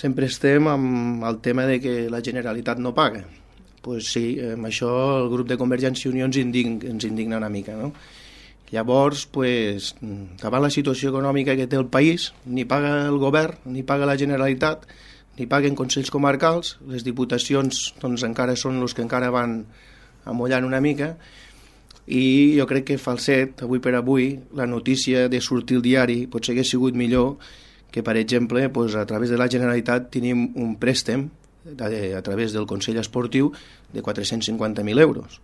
sempre estem amb el tema de que la Generalitat no paga. Pues sí, amb això el grup de Convergència i Unió ens indigna una mica, no? Llavors, pues, davant la situació econòmica que té el país, ni paga el govern, ni paga la Generalitat, ni paguen consells comarcals, les diputacions doncs, encara són els que encara van amollant una mica, i jo crec que falset, avui per avui, la notícia de sortir al diari potser hagués sigut millor que, per exemple, pues, a través de la Generalitat tenim un préstec a través del Consell Esportiu de 450.000 euros.